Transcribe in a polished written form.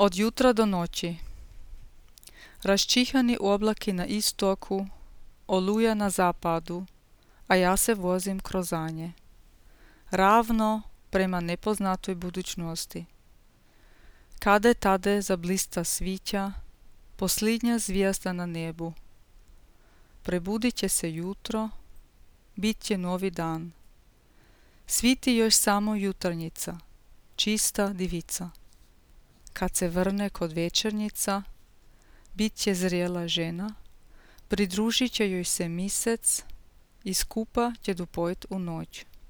Od jutra do noći. Raščihani oblaki na istoku, oluja na zapadu, a ja se vozim kroz anje. Ravno prema nepoznatoj budućnosti. Kade tade zablista svića, posljednja zvijezda na nebu. Prebudit će se jutro, bit će novi dan. Sviti još samo jutarnjica, čista divica. Kad se vrne kod večernjica, bit će zrela žena, pridružit će joj se misec i skupa će dopojit u noć.